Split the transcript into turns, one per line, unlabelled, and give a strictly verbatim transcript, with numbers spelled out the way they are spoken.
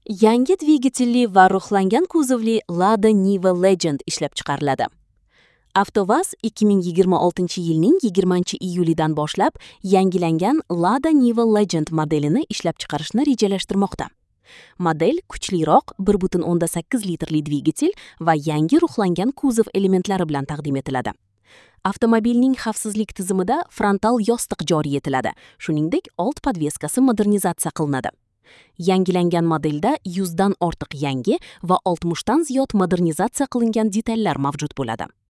Yangi dvigatelli va ruhlangan kuzovli Lada Niva Legend ishlab chiqariladi. AvtoVAZ ikki ming yigirma oltinchi yilning yigirmanchi iyulidan boshlab yangilangan Lada Niva Legend modelini ishlab chiqarishni rejalashtirmoqda. Model kuchliroq bir butun o'ndan sakkiz litrli dvigatel va yangi ruhlangan kuzov elementlari bilan taqdim etiladi. Avtomobilning xavfsizlik tizimida frontal yostiq joriy etiladi. Shuningdek, old podveskasi modernizatsiya qilinadi. Yangilangan modelda yuz dan ortiq yangi va oltmish dan ziyod modernizatsiya qilingan detallar mavjud bo'ladi.